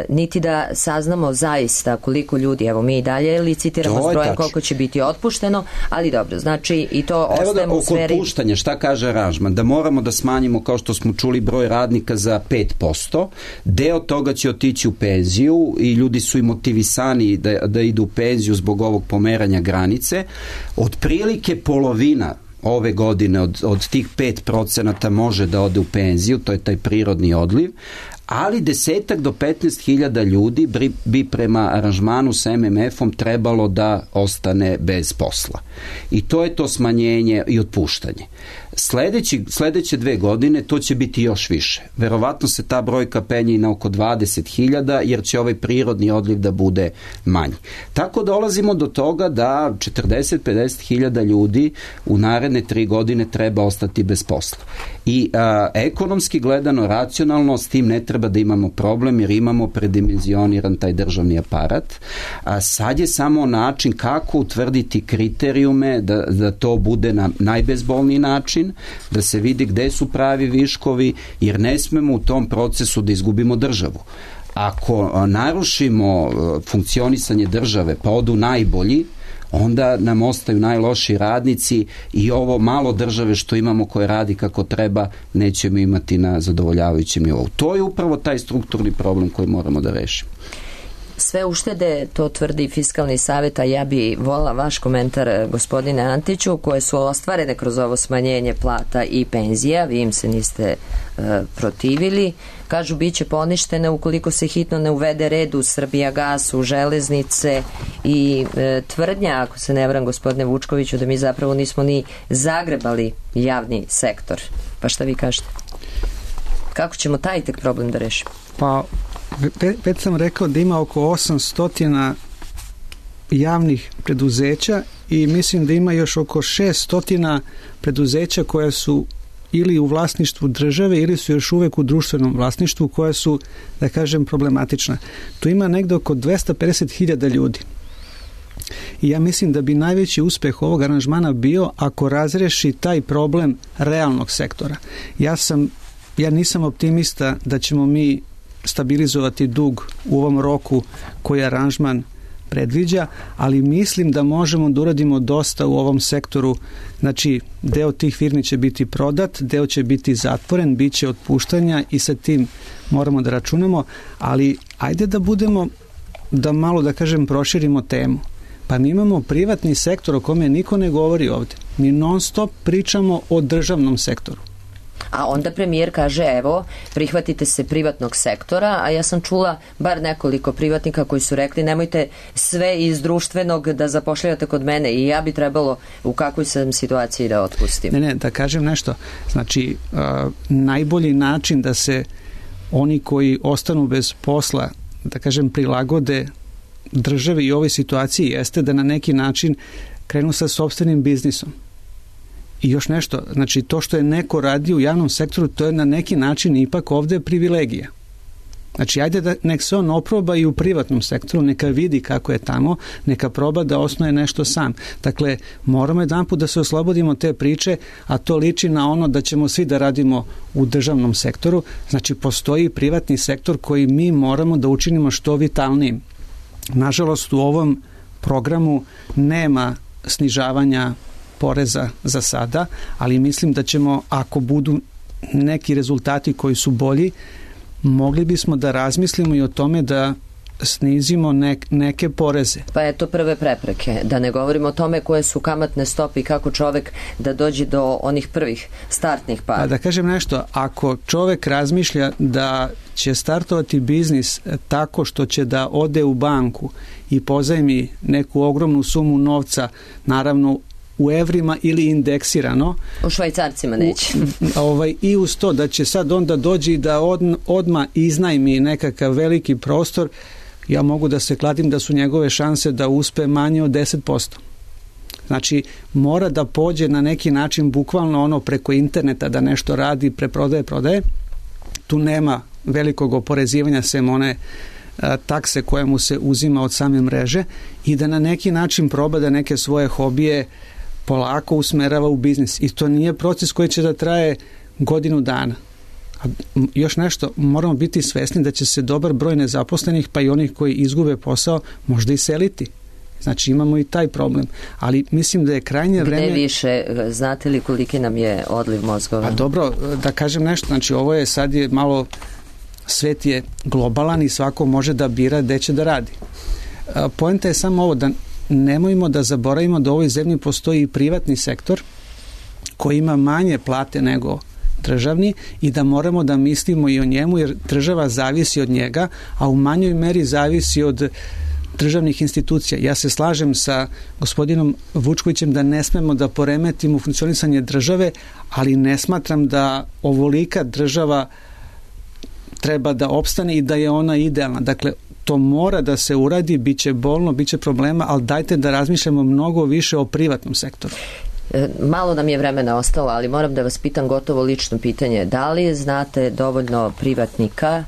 niti da saznamo zaista koliko ljudi, evo mi i dalje licitiramo s brojem koliko će biti otpušteno, ali dobro, znači i to ostajemo u sferi. Oko otpuštanja, šta kaže aranžman? Da moramo da smanjimo, kao što smo čuli, broj radnika za 5%, deo toga će otići u penziju i ljudi su i motivisani da idu u penziju zbog ovog pomeranja granice. Otprilike polovina ove godine od tih 5% može da ode u penziju, to je taj prirodni odliv, ali 10 do 15.000 ljudi bi prema aranžmanu sa MMF-om trebalo da ostane bez posla. I to je to smanjenje i otpuštanje. Sledeće 2 godine to će biti još više. Verovatno se ta brojka penje na oko 20.000 jer će ovaj prirodni odliv da bude manji. Tako dolazimo do toga da 40-50.000 ljudi u naredne 3 godine treba ostati bez posla. I ekonomski gledano, racionalno, s tim ne treba da imamo problem jer imamo predimenzioniran taj državni aparat. A sad je samo način kako utvrditi kriterijume da to bude na najbezbolniji način, da se vidi gde su pravi viškovi, jer ne smemo u tom procesu da izgubimo državu. Ako narušimo funkcionisanje države pa odu najbolji, onda nam ostaju najlošiji radnici i ovo malo države što imamo koje radi kako treba nećemo imati na zadovoljavajućem nivou. To je upravo taj strukturni problem koji moramo da rešimo. Sve uštede, to tvrdi Fiskalni savet, a ja bi volila vaš komentar, gospodine Antiću, koje su ostvarene kroz ovo smanjenje plata i penzija, vi im se niste protivili. Kažu, bit će poništene ukoliko se hitno ne uvede red u Srbijagas, u železnice i tvrdnja, ako se ne varam, gospodine Vučkoviću, da mi zapravo nismo ni zagrebali javni sektor. Pa šta vi kažete? Kako ćemo taj tek problem da rešimo? Pa, već sam rekao da ima oko 800 javnih preduzeća i mislim da ima još oko 600 preduzeća koja su ili u vlasništvu države ili su još uvek u društvenom vlasništvu koja su, da kažem, problematična. Tu ima negde oko 250.000 ljudi. I ja mislim da bi najveći uspeh ovog aranžmana bio ako razreši taj problem realnog sektora. Ja nisam optimista da ćemo mi stabilizovati dug u ovom roku koji aranžman predviđa, ali mislim da možemo da uradimo dosta u ovom sektoru. Znači, deo tih firmi će biti prodat, deo će biti zatvoren, bit će otpuštanja i sa tim moramo da računamo, ali ajde da malo, da kažem, proširimo temu. Pa mi imamo privatni sektor o kome niko ne govori ovde. Mi non stop pričamo o državnom sektoru. A onda premijer kaže, evo, prihvatite se privatnog sektora, a ja sam čula bar nekoliko privatnika koji su rekli, nemojte sve iz društvenog da zapošljavate kod mene i ja bi trebalo u kakvoj sam situaciji da otpustim. Ne, da kažem nešto. Znači, najbolji način da se oni koji ostanu bez posla, da kažem, prilagode države i ovoj situaciji jeste da na neki način krenu sa sopstvenim biznisom. I još nešto, znači to što je neko radi u javnom sektoru, to je na neki način ipak ovde privilegija. Znači, ajde da nek se on oproba i u privatnom sektoru, neka vidi kako je tamo, neka proba da osnuje nešto sam. Dakle, moramo jedanput da se oslobodimo te priče, a to liči na ono da ćemo svi da radimo u državnom sektoru. Znači, postoji privatni sektor koji mi moramo da učinimo što vitalnijim. Nažalost, u ovom programu nema snižavanja poreza za sada, ali mislim da ćemo, ako budu neki rezultati koji su bolji, mogli bismo da razmislimo i o tome da snizimo neke poreze. Pa eto prve prepreke. Da ne govorimo o tome koje su kamatne stope i kako čovek da dođe do onih prvih startnih para. Pa da kažem nešto, ako čovek razmišlja da će startovati biznis tako što će da ode u banku i pozajmi neku ogromnu sumu novca, naravno u evrima ili indeksirano. U švajcarcima neće. I uz to da će sad onda dođi da odmah iznajmi nekakav veliki prostor, ja mogu da se kladim da su njegove šanse da uspe manje od 10%. Znači, mora da pođe na neki način bukvalno ono preko interneta da nešto radi, prodaje. Tu nema velikog oporezivanja sem one takse koje mu se uzima od same mreže i da na neki način proba da neke svoje hobije polako usmerava u biznis. I to nije proces koji će da traje godinu dana. A još nešto, moramo biti svesni da će se dobar broj nezaposlenih, pa i onih koji izgube posao, možda i seliti. Znači imamo i taj problem. Ali mislim da je krajnje vreme... Gde više? Znate li koliki nam je odliv mozgova? Pa dobro, da kažem nešto. Znači ovo je sad je malo... Svet je globalan i svako može da bira gde će da radi. Poenta je samo ovo, da nemojmo da zaboravimo da u ovoj zemlji postoji i privatni sektor koji ima manje plate nego državni i da moramo da mislimo i o njemu, jer država zavisi od njega, a u manjoj meri zavisi od državnih institucija. Ja se slažem sa gospodinom Vučkovićem da ne smemo da poremetimo funkcionisanje države, ali ne smatram da ovolika država treba da opstane i da je ona idealna. Dakle, to mora da se uradi, bit će bolno, bit će problema, ali dajte da razmišljamo mnogo više o privatnom sektoru. Malo nam je vremena ostalo, ali moram da vas pitam gotovo lično pitanje. Da li znate dovoljno privatnika,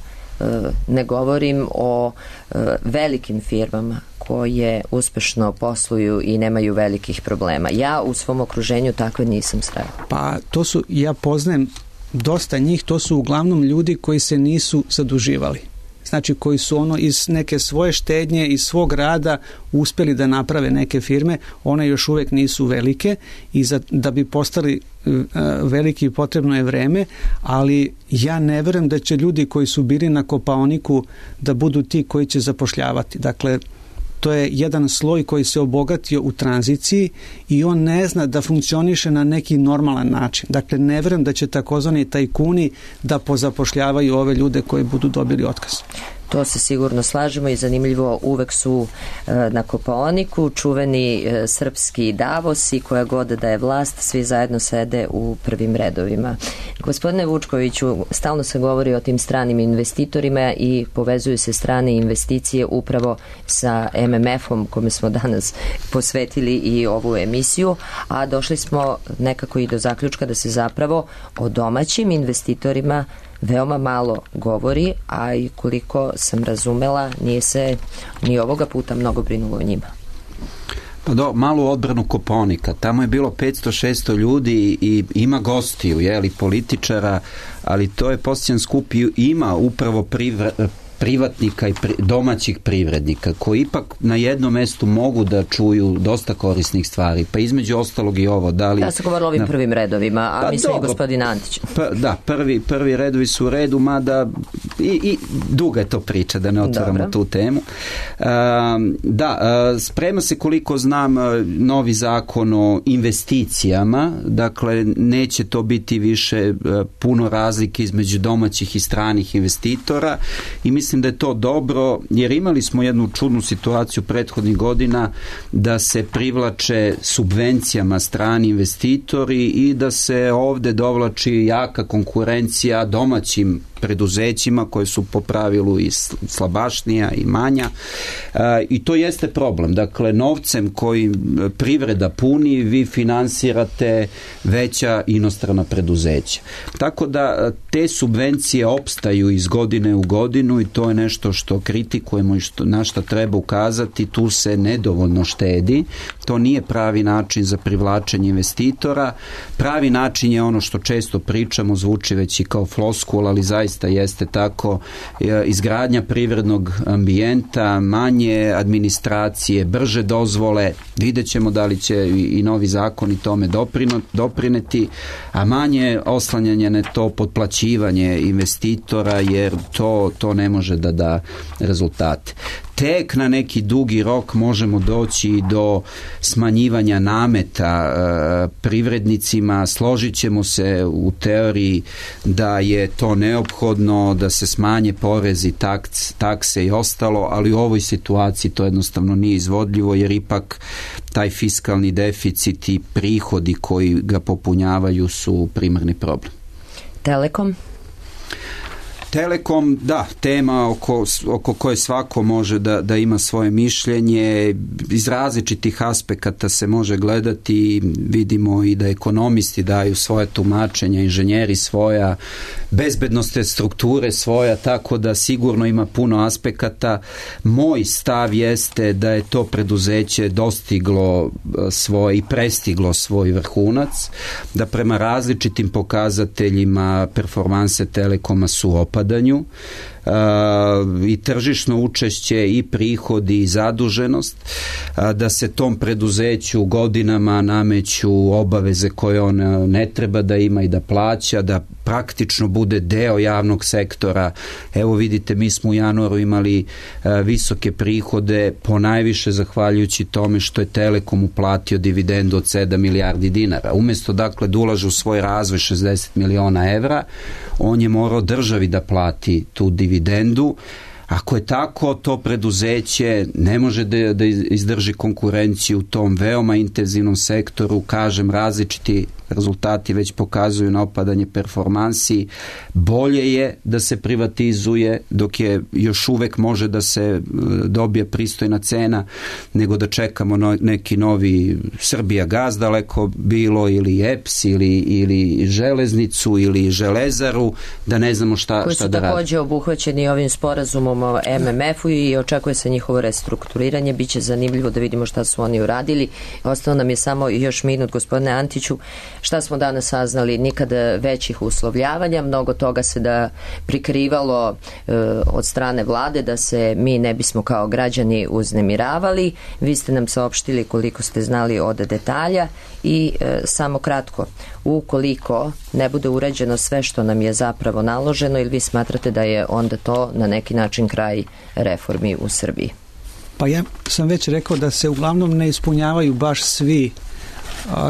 ne govorim o velikim firmama koje uspešno posluju i nemaju velikih problema? Ja u svom okruženju takve nisam srela. Pa to su, ja poznajem dosta njih, to su uglavnom ljudi koji se nisu zaduživali. Znači koji su ono iz neke svoje štednje, iz svog rada uspeli da naprave neke firme, one još uvek nisu velike i da bi postali veliki potrebno je vreme, ali ja ne verujem da će ljudi koji su bili na Kopaoniku da budu ti koji će zapošljavati. Dakle, to je jedan sloj koji se obogatio u tranziciji i on ne zna da funkcioniše na neki normalan način. Dakle, ne verujem da će takozvani tajkuni da pozapošljavaju ove ljude koji budu dobili otkaz. To se sigurno slažemo i zanimljivo, uvek su na Kopaoniku čuveni srpski Davos i koja god da je vlast, svi zajedno sede u prvim redovima. Gospodine Vučkoviću, stalno se govori o tim stranim investitorima i povezuju se strane investicije upravo sa MMF-om kome smo danas posvetili i ovu emisiju, a došli smo nekako i do zaključka da se zapravo o domaćim investitorima veoma malo govori, a i koliko sam razumela, nije se ni ovoga puta mnogo brinulo o njima. Pa malu odbranu Kopaonika. Tamo je bilo 500-600 ljudi i ima gostiju, političara, ali to je posljedan skup i ima upravo privatnika i domaćih privrednika koji ipak na jednom mestu mogu da čuju dosta korisnih stvari, pa između ostalog i ovo. Ja sam govorila ovim prvim redovima, a mislim i gospodin Antić. Prvi redovi su u redu, mada i duga je to priča, da ne otvaramo tu temu. Sprema se, koliko znam, novi zakon o investicijama, dakle neće to biti više puno razlike između domaćih i stranih investitora i mislim da je to dobro, jer imali smo jednu čudnu situaciju prethodnih godina da se privlače subvencijama strani investitori i da se ovde dovlači jaka konkurencija domaćim preduzećima koje su po pravilu i slabašnija i manja i to jeste problem. Dakle, novcem koji privreda puni vi finansirate veća inostrana preduzeća. Tako da te subvencije opstaju iz godine u godinu i to je nešto što kritikujemo i na što treba ukazati. Tu se nedovoljno štedi. To nije pravi način za privlačenje investitora. Pravi način je ono što često pričamo, zvuči već i kao floskula, ali zaista jeste tako, izgradnja privrednog ambijenta, manje administracije, brže dozvole, vidjet ćemo da li će i novi zakoni tome doprineti, a manje oslanjanje na to potplaćivanje investitora, jer to ne može da da rezultate. Tek na neki dugi rok možemo doći do smanjivanja nameta privrednicima. Složit ćemo se u teoriji da je to neophodno, da se smanje porezi, takse i ostalo, ali u ovoj situaciji to jednostavno nije izvodljivo, jer ipak taj fiskalni deficit i prihodi koji ga popunjavaju su primarni problem. Telekom, da, tema oko koje svako može da ima svoje mišljenje, iz različitih aspekata se može gledati, vidimo i da ekonomisti daju svoje tumačenja, inženjeri svoja, bezbednosne strukture svoja, tako da sigurno ima puno aspekata. Moj stav jeste da je to preduzeće dostiglo svoje i prestiglo svoj vrhunac, da prema različitim pokazateljima performanse Telekoma su opadanju, i tržišno učešće i prihodi i zaduženost, da se tom preduzeću godinama nameću obaveze koje on ne treba da ima i da plaća, da praktično bude deo javnog sektora. Evo vidite, mi smo u januaru imali visoke prihode, ponajviše zahvaljujući tome što je Telekom uplatio dividendu od 7 milijardi dinara. Umjesto dakle da ulaže u svoj razvoj 60 miliona evra, on je morao državi da plati tu dividendu. Ako je tako, to preduzeće ne može da izdrži konkurenciju u tom veoma intenzivnom sektoru. Kažem, različiti rezultati već pokazuju na opadanje performansi. Bolje je da se privatizuje dok je još uvek može da se dobije pristojna cena, nego da čekamo neki novi Srbijagas daleko bilo, ili EPS, ili železnicu, ili železaru, da ne znamo šta da radi. Koji su također obuhvaćeni ovim sporazumom o MMF-u i očekuje se njihovo restrukturiranje. Biće zanimljivo da vidimo šta su oni uradili. Ostao nam je samo još minut, gospodine Antiću. Šta smo danas saznali? Nikada većih uslovljavanja, mnogo toga se da prikrivalo od strane vlade da se mi ne bismo kao građani uznemiravali. Vi ste nam saopštili koliko ste znali od detalja i samo kratko, ukoliko ne bude uređeno sve što nam je zapravo naloženo, ili vi smatrate da je onda to na neki način kraj reformi u Srbiji? Pa ja sam već rekao da se uglavnom ne ispunjavaju baš svi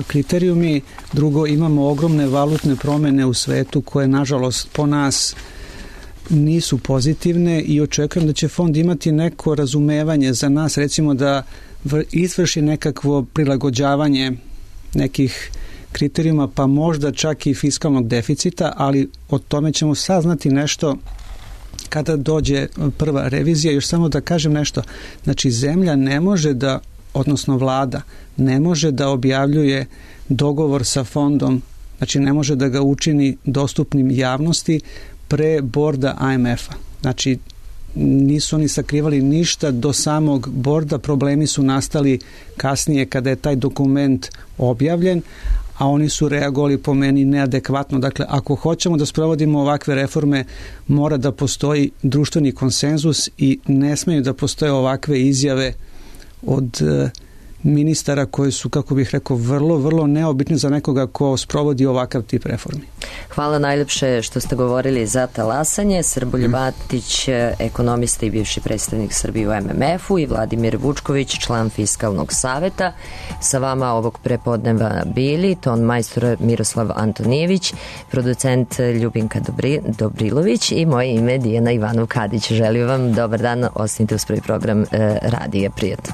kriterijumi. Drugo, imamo ogromne valutne promjene u svetu koje nažalost po nas nisu pozitivne i očekujem da će fond imati neko razumevanje za nas, recimo da izvrši nekakvo prilagođavanje nekih kriterijuma, pa možda čak i fiskalnog deficita, ali o tome ćemo saznati nešto kada dođe prva revizija. Još samo da kažem nešto, znači zemlja ne može da, odnosno vlada ne može da objavljuje dogovor sa fondom, znači ne može da ga učini dostupnim javnosti pre borda IMF-a. Znači nisu oni sakrivali ništa do samog borda, problemi su nastali kasnije kada je taj dokument objavljen, a oni su reagovali po meni neadekvatno. Dakle, ako hoćemo da sprovodimo ovakve reforme, mora da postoji društveni konsenzus i ne smeju da postoje ovakve izjave od ministara koji su, kako bih rekao, vrlo, vrlo neobični za nekoga ko sprovodi ovakav tip reformi. Hvala najljepše što ste govorili za talasanje. Srboljub Antić, ekonomista i bivši predstavnik Srbije u MMF-u, i Vladimir Vučković, član Fiskalnog saveta. Sa vama ovog prepodneva bili ton majstor Miroslav Antonijević, producent Ljubinka Dobrilović i moje ime Dijana Ivanov-Kadić. Želim vam dobar dan, ostanite uz prvi program Radija. Prijatno.